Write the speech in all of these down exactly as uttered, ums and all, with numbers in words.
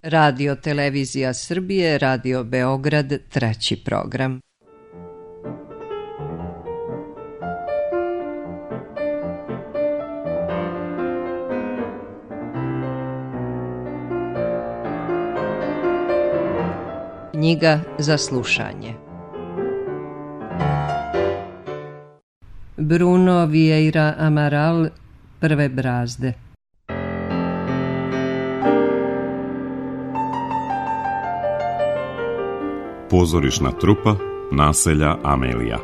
Radio Televizija Srbije, Radio Beograd, treći program. Knjiga za slušanje. Bruno Vieira Amaral, Prve brazde. Pozorišna trupa naselja Amelija.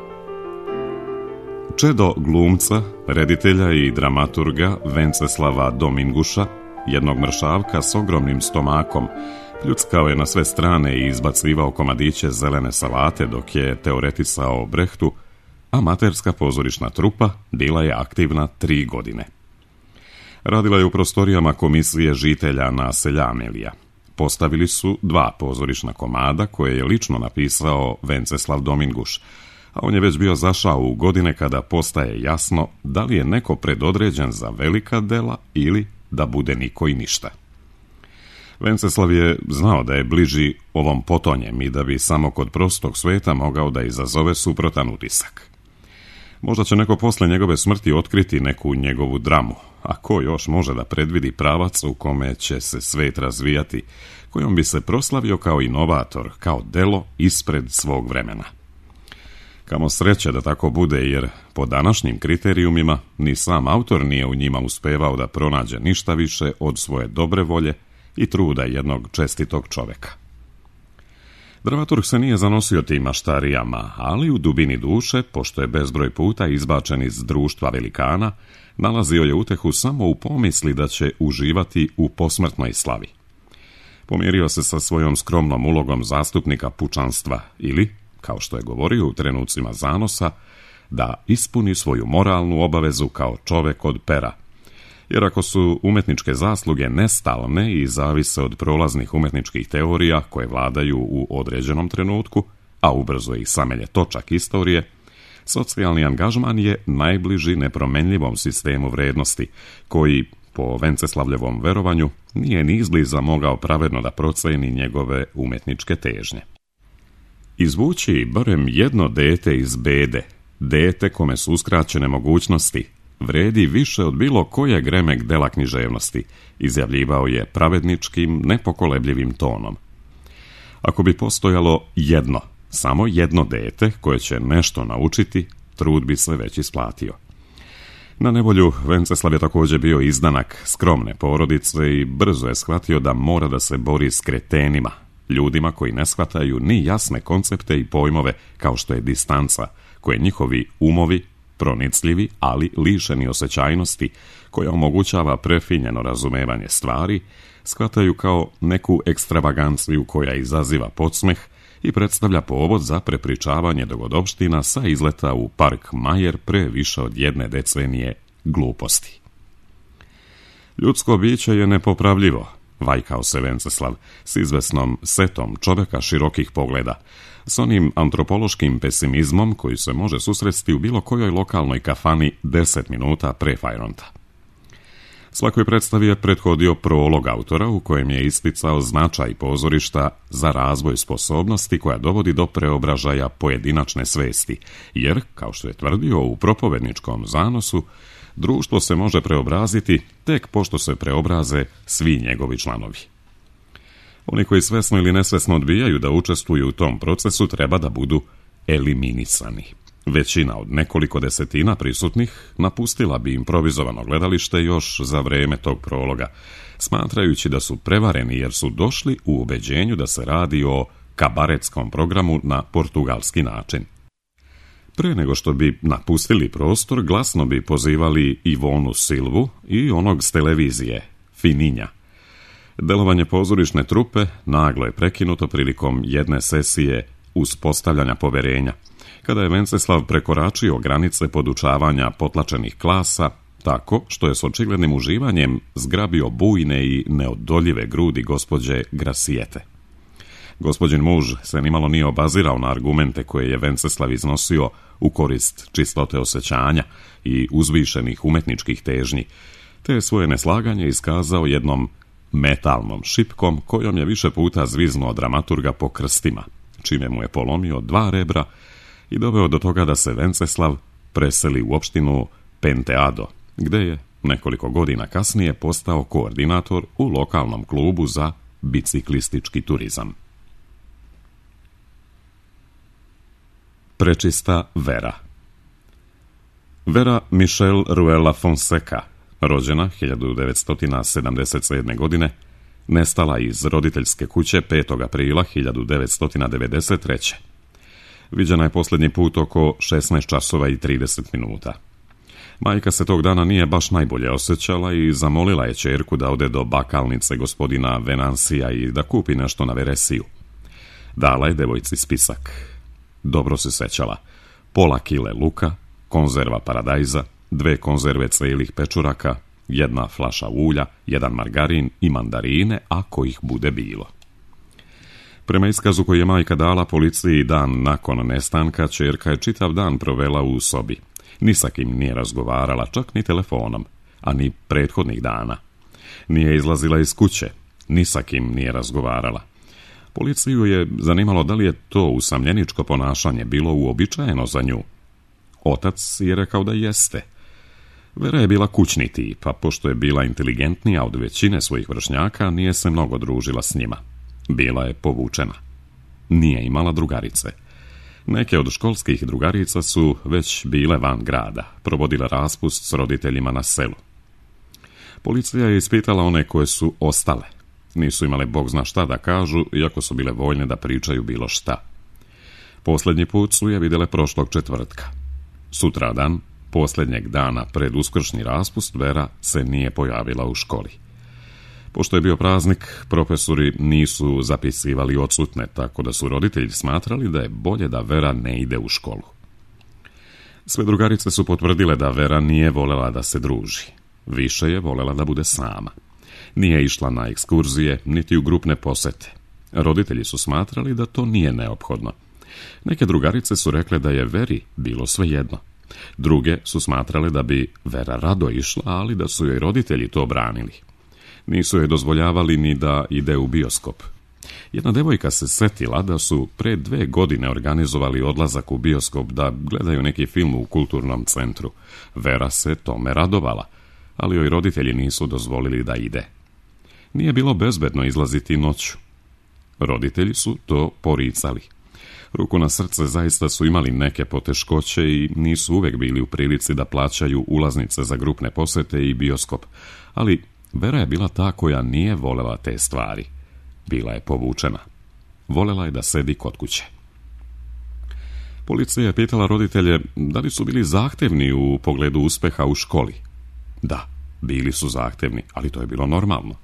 Čedo glumca, reditelja i dramaturga Venceslava Dominguša, jednog mršavka s ogromnim stomakom, pljuckao je na sve strane i izbacivao komadiće zelene salate dok je teoretisao o Brehtu, amaterska pozorišna trupa bila je aktivna tri godine. Radila je u prostorijama komisije žitelja naselja Amelija. Postavili su dva pozorišna komada koje je lično napisao Venceslav Dominguš, a on je već bio zašao u godine kada postaje jasno da li je neko predodređen za velika dela ili da bude niko i ništa. Venceslav je znao da je bliži ovom potonjem i da bi samo kod prostog sveta mogao da izazove suprotan utisak. Možda će neko posle njegove smrti otkriti neku njegovu dramu, a ko još može da predvidi pravac u kome će se svet razvijati, kojom bi se proslavio kao inovator, kao delo ispred svog vremena. Kamo sreće da tako bude, jer po današnjim kriterijumima ni sam autor nije u njima uspevao da pronađe ništa više od svoje dobre volje i truda jednog čestitog čoveka. Dramaturg se nije zanosio tim maštarijama, ali u dubini duše, pošto je bezbroj puta izbačen iz društva velikana, nalazio je utehu samo u pomisli da će uživati u posmrtnoj slavi. Pomirio se sa svojom skromnom ulogom zastupnika pučanstva ili, kao što je govorio u trenucima zanosa, da ispuni svoju moralnu obavezu kao čovek od pera. Jer ako su umetničke zasluge nestalne i zavise od prolaznih umetničkih teorija koje vladaju u određenom trenutku, a ubrzo ih samelje točak istorije, socijalni angažman je najbliži nepromenljivom sistemu vrednosti, koji, po Venceslavljevom verovanju, nije ni izbliza mogao pravedno da proceni njegove umetničke težnje. Izvući barem jedno dete iz bede, dete kome su uskraćene mogućnosti, vredi više od bilo kojeg remek dela književnosti, izjavljivao je pravedničkim, nepokolebljivim tonom. Ako bi postojalo jedno, samo jedno dete koje će nešto naučiti, trud bi se već isplatio. Na nevolju Venceslav je također bio izdanak skromne porodice i brzo je shvatio da mora da se bori s kretenima, ljudima koji ne shvataju ni jasne koncepte i pojmove kao što je distanca, koje njihovi umovi, pronicljivi, ali lišeni osjećajnosti, koja omogućava prefinjeno razumevanje stvari, shvataju kao neku ekstravaganciju koja izaziva podsmeh i predstavlja povod za prepričavanje dogodovština sa izleta u park Majer pre više od jedne decenije gluposti. Ljudsko biće je nepopravljivo, vajkao se Venceslav, s izvesnom setom čoveka širokih pogleda, s onim antropološkim pesimizmom koji se može susresti u bilo kojoj lokalnoj kafani deset minuta pre fajronta. Svakoj predstavi je prethodio prolog autora u kojem je isticao značaj pozorišta za razvoj sposobnosti koja dovodi do preobražaja pojedinačne svesti, jer, kao što je tvrdio u propovedničkom zanosu, društvo se može preobraziti tek pošto se preobraze svi njegovi članovi. Oni koji svesno ili nesvesno odbijaju da učestvuju u tom procesu treba da budu eliminisani. Većina od nekoliko desetina prisutnih napustila bi improvizovano gledalište još za vreme tog prologa, smatrajući da su prevareni jer su došli u ubeđenju da se radi o kabaretskom programu na portugalski način. Pre nego što bi napustili prostor, glasno bi pozivali Ivonu Silvu i onog s televizije, Fininja. Delovanje pozorišne trupe naglo je prekinuto prilikom jedne sesije uspostavljanja poverenja, kada je Venceslav prekoračio granice podučavanja potlačenih klasa, tako što je s očiglednim uživanjem zgrabio bujne i neodoljive grudi gospođe Grasijete. Gospođin muž se nimalo nije obazirao na argumente koje je Venceslav iznosio u korist čistote osjećanja i uzvišenih umetničkih težnji, te je svoje neslaganje iskazao jednom metalnom šipkom kojom je više puta zviznuo dramaturga po krstima, čime mu je polomio dva rebra i doveo do toga da se Venceslav preseli u opštinu Penteado, gde je nekoliko godina kasnije postao koordinator u lokalnom klubu za biciklistički turizam. Prečista Vera. Vera Michelle Ruela Fonseca, rođena hiljadu devetsto sedamdeset sedme. godine, nestala iz roditeljske kuće petog aprila hiljadu devetsto devedeset treće. Viđena je posljednji put oko šesnaest časova i trideset minuta. Majka se tog dana nije baš najbolje osjećala i zamolila je ćerku da ode do bakalnice gospodina Venansija i da kupi nešto na veresiju. Dala je devojci spisak. Dobro se sećala. Pola kile luka, konzerva paradajza, dve konzerve celih pečuraka, jedna flaša ulja, jedan margarin i mandarine, ako ih bude bilo. Prema iskazu koji je majka dala policiji dan nakon nestanka, ćerka je čitav dan provela u sobi. Ni sa kim nije razgovarala, čak ni telefonom, a ni prethodnih dana. Nije izlazila iz kuće, ni sa kim nije razgovarala. Policiju je zanimalo da li je to usamljeničko ponašanje bilo uobičajeno za nju. Otac je rekao da jeste. Vera je bila kućni tip, a pošto je bila inteligentnija od većine svojih vršnjaka, nije se mnogo družila s njima. Bila je povučena. Nije imala drugarice. Neke od školskih drugarica su već bile van grada, provodile raspust s roditeljima na selu. Policija je ispitala one koje su ostale. Nisu imale bog zna šta da kažu, iako su bile voljne da pričaju bilo šta. Posljednji put su je vidjele prošlog četvrtka. Sutradan, posljednjeg dana pred uskršnji raspust, Vera se nije pojavila u školi. Pošto je bio praznik, profesori nisu zapisivali odsutne, tako da su roditelji smatrali da je bolje da Vera ne ide u školu. Sve drugarice su potvrdile da Vera nije volela da se druži. Više je volela da bude sama. Nije išla na ekskurzije, niti u grupne posete. Roditelji su smatrali da to nije neophodno. Neke drugarice su rekle da je Veri bilo svejedno. Druge su smatrale da bi Vera rado išla, ali da su joj roditelji to branili. Nisu joj dozvoljavali ni da ide u bioskop. Jedna devojka se setila da su pre dve godine organizovali odlazak u bioskop da gledaju neki film u kulturnom centru. Vera se tome radovala, ali joj roditelji nisu dozvolili da ide. Nije bilo bezbedno izlaziti noću. Roditelji su to poricali. Ruku na srce, zaista su imali neke poteškoće i nisu uvek bili u prilici da plaćaju ulaznice za grupne posete i bioskop, ali Vera je bila ta koja nije volela te stvari. Bila je povučena. Volela je da sedi kod kuće. Policija je pitala roditelje da li su bili zahtevni u pogledu uspeha u školi. Da, bili su zahtevni, ali to je bilo normalno.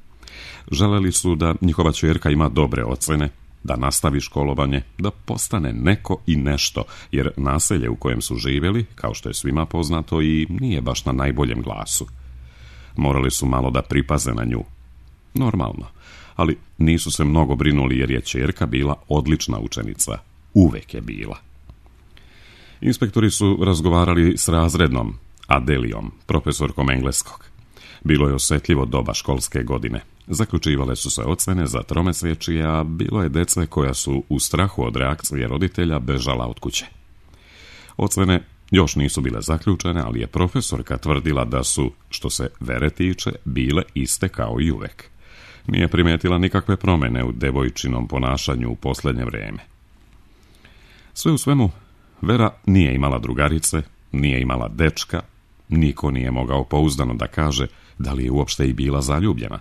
Želeli su da njihova ćerka ima dobre ocene, da nastavi školovanje, da postane neko i nešto, jer naselje u kojem su živjeli, kao što je svima poznato, i nije baš na najboljem glasu. Morali su malo da pripaze na nju. Normalno, ali nisu se mnogo brinuli jer je ćerka bila odlična učenica. Uvek je bila. Inspektori su razgovarali s razrednom Adelijom, profesorkom engleskog. Bilo je osjetljivo doba školske godine. Zaključivale su se ocene za tromesečje, a bilo je dece koja su u strahu od reakcije roditelja bežala od kuće. Ocene još nisu bile zaključene, ali je profesorka tvrdila da su, što se Vere tiče, bile iste kao i uvek. Nije primijetila nikakve promjene u devojčinom ponašanju u posljednje vrijeme. Sve u svemu, Vera nije imala drugarice, nije imala dečka, niko nije mogao pouzdano da kaže da li je uopšte i bila zaljubljena.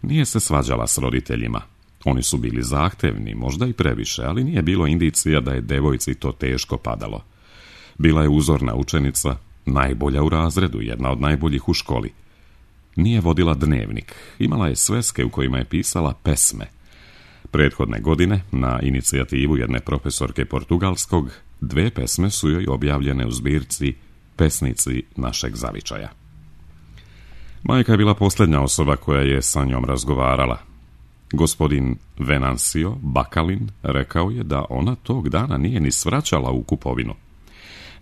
Nije se svađala s roditeljima. Oni su bili zahtevni, možda i previše, ali nije bilo indicija da je devojci to teško padalo. Bila je uzorna učenica, najbolja u razredu, jedna od najboljih u školi. Nije vodila dnevnik, imala je sveske u kojima je pisala pesme. Prethodne godine, na inicijativu jedne profesorke portugalskog, dve pesme su joj objavljene u zbirci Pesnici našeg zavičaja. Majka je bila posljednja osoba koja je sa njom razgovarala. Gospodin Venansio Bakalin rekao je da ona tog dana nije ni svraćala u kupovinu.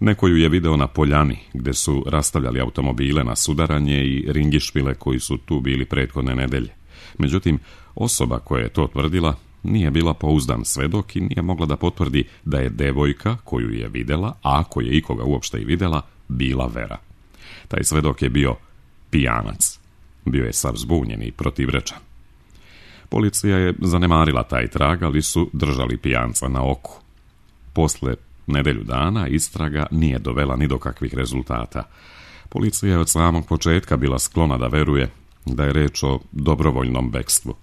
Neko ju je video na poljani, gde su rastavljali automobile na sudaranje i ringišpile koji su tu bili prethodne nedelje. Međutim, osoba koja je to tvrdila nije bila pouzdan svedok i nije mogla da potvrdi da je devojka koju je videla, a ako je ikoga uopšte i videla, bila Vera. Taj svedok je bio pijanac. Bio je sav zbunjen i protivrečan. Policija je zanemarila taj trag, ali su držali pijanca na oku. Posle nedelju dana istraga nije dovela ni do kakvih rezultata. Policija je od samog početka bila sklona da veruje da je reč o dobrovoljnom bekstvu.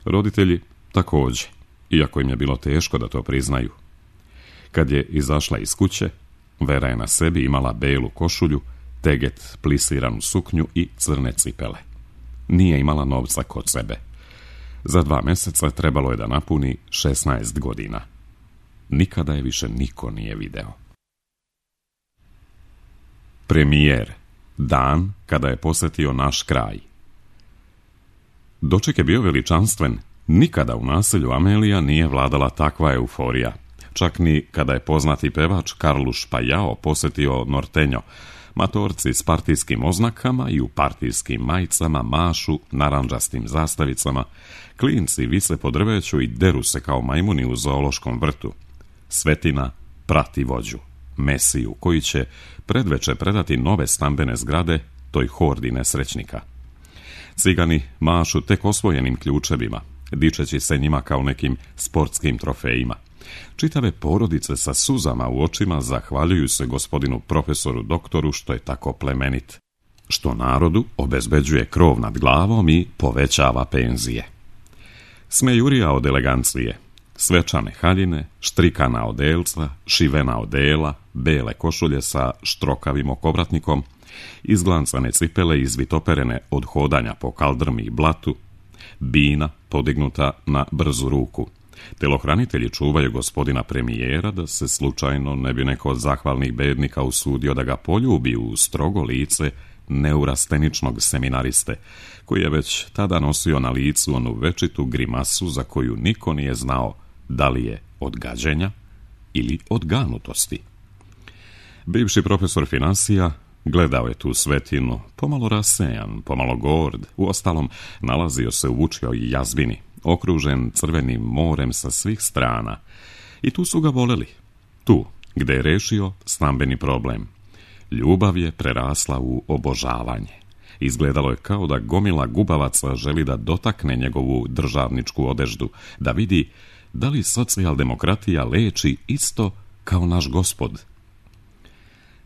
Roditelji također, iako im je bilo teško da to priznaju. Kad je izašla iz kuće, Vera je na sebi imala belu košulju, teget, plisiranu suknju i crne cipele. Nije imala novca kod sebe. Za dva mjeseca trebalo je da napuni šesnaest godina. Nikada je više niko nije video. Premijer. Dan kada je posjetio naš kraj. Doček je bio veličanstven. Nikada u naselju Amelija nije vladala takva euforija. Čak ni kada je poznati pevač Karluš Pajao posjetio Nortenjo. Matorci s partijskim oznakama i u partijskim majicama mašu narandžastim zastavicama. Klinci vise po drveću i deru se kao majmuni u zoološkom vrtu. Svetina prati vođu, Mesiju, koji će predveče predati nove stambene zgrade toj hordi nesrećnika. Cigani mašu tek osvojenim ključevima, dičeći se njima kao nekim sportskim trofejima. Čitave porodice sa suzama u očima zahvaljuju se gospodinu profesoru doktoru što je tako plemenit, što narodu obezbeđuje krov nad glavom i povećava penzije. Smejurija od elegancije, svečane haljine, štrikana odelca, šivena odela, bele košulje sa štrokavim okovratnikom, izglancane cipele izvitoperene od hodanja po kaldrmi i blatu, bina podignuta na brzu ruku. Telohranitelji čuvaju gospodina premijera da se slučajno ne bi neko od zahvalnih bednika usudio da ga poljubi u strogo lice neurasteničnog seminariste, koji je već tada nosio na licu onu večitu grimasu za koju niko nije znao da li je od gađenja ili od ganutosti. Bivši profesor finansija gledao je tu svetinu, pomalo rasejan, pomalo gord, uostalom nalazio se u vučjoj jazbini, okružen crvenim morem sa svih strana. I tu su ga voleli, tu gde je rešio stambeni problem. Ljubav je prerasla u obožavanje. Izgledalo je kao da gomila gubavaca želi da dotakne njegovu državničku odeždu, da vidi da li socijaldemokratija leči isto kao naš gospod.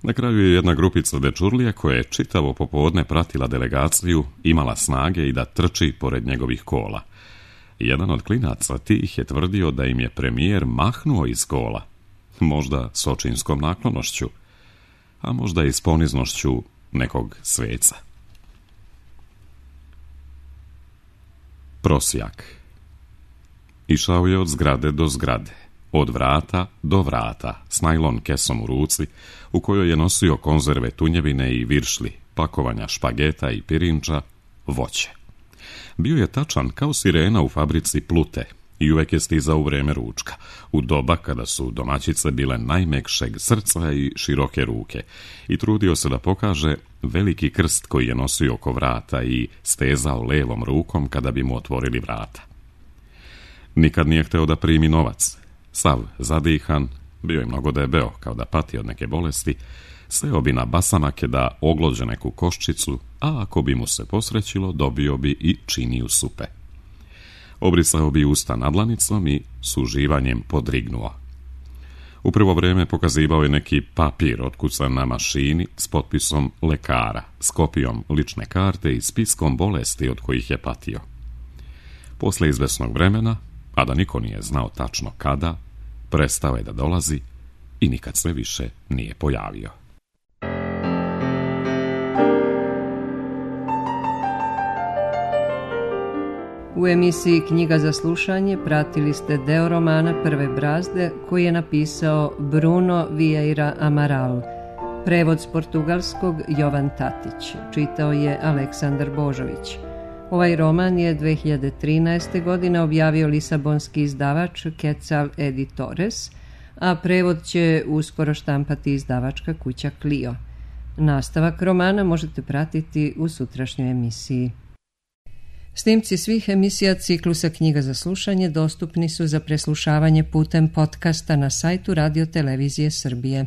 Na kraju je jedna grupica dečurlija koja je čitavo popodne pratila delegaciju, imala snage i da trči pored njegovih kola. Jedan od klinaca tih je tvrdio da im je premijer mahnuo iz kola, možda s očinskom naklonošću, a možda i s poniznošću nekog sveca. Prosjak. Išao je od zgrade do zgrade, od vrata do vrata, s najlon kesom u ruci, u kojoj je nosio konzerve tunjevine i viršli, pakovanja špageta i pirinča, voće. Bio je tačan kao sirena u fabrici Plute i uvek je stizao u vreme ručka, u doba kada su domaćice bile najmekšeg srca i široke ruke, i trudio se da pokaže veliki krst koji je nosio oko vrata i stezao levom rukom kada bi mu otvorili vrata. Nikad nije hteo da primi novac. Sav zadihan, bio je mnogo debeo, kao da pati od neke bolesti, seo bi na basamake da oglođe neku koščicu, a ako bi mu se posrećilo, dobio bi i činiju supe. Obrisao bi usta nadlanicom i s uživanjem podrignuo. U prvo vreme pokazivao je neki papir otkucan na mašini s potpisom lekara, s kopijom lične karte i spiskom bolesti od kojih je patio. Posle izvesnog vremena, a da niko nije znao tačno kada, prestao je da dolazi i nikad se više nije pojavio. U emisiji Knjiga za slušanje pratili ste deo romana Prve brazde koji je napisao Bruno Vieira Amaral. Prevod s portugalskog Jovan Tatić. Čitao je Aleksandar Božović. Ovaj roman je dve hiljade trinaeste. godine objavio lisabonski izdavač Quetzal Editores, a prevod će uskoro štampati izdavačka kuća Clio. Nastavak romana možete pratiti u sutrašnjoj emisiji. Snimci svih emisija ciklusa Knjiga za slušanje dostupni su za preslušavanje putem podcasta na sajtu Radio Televizije Srbije.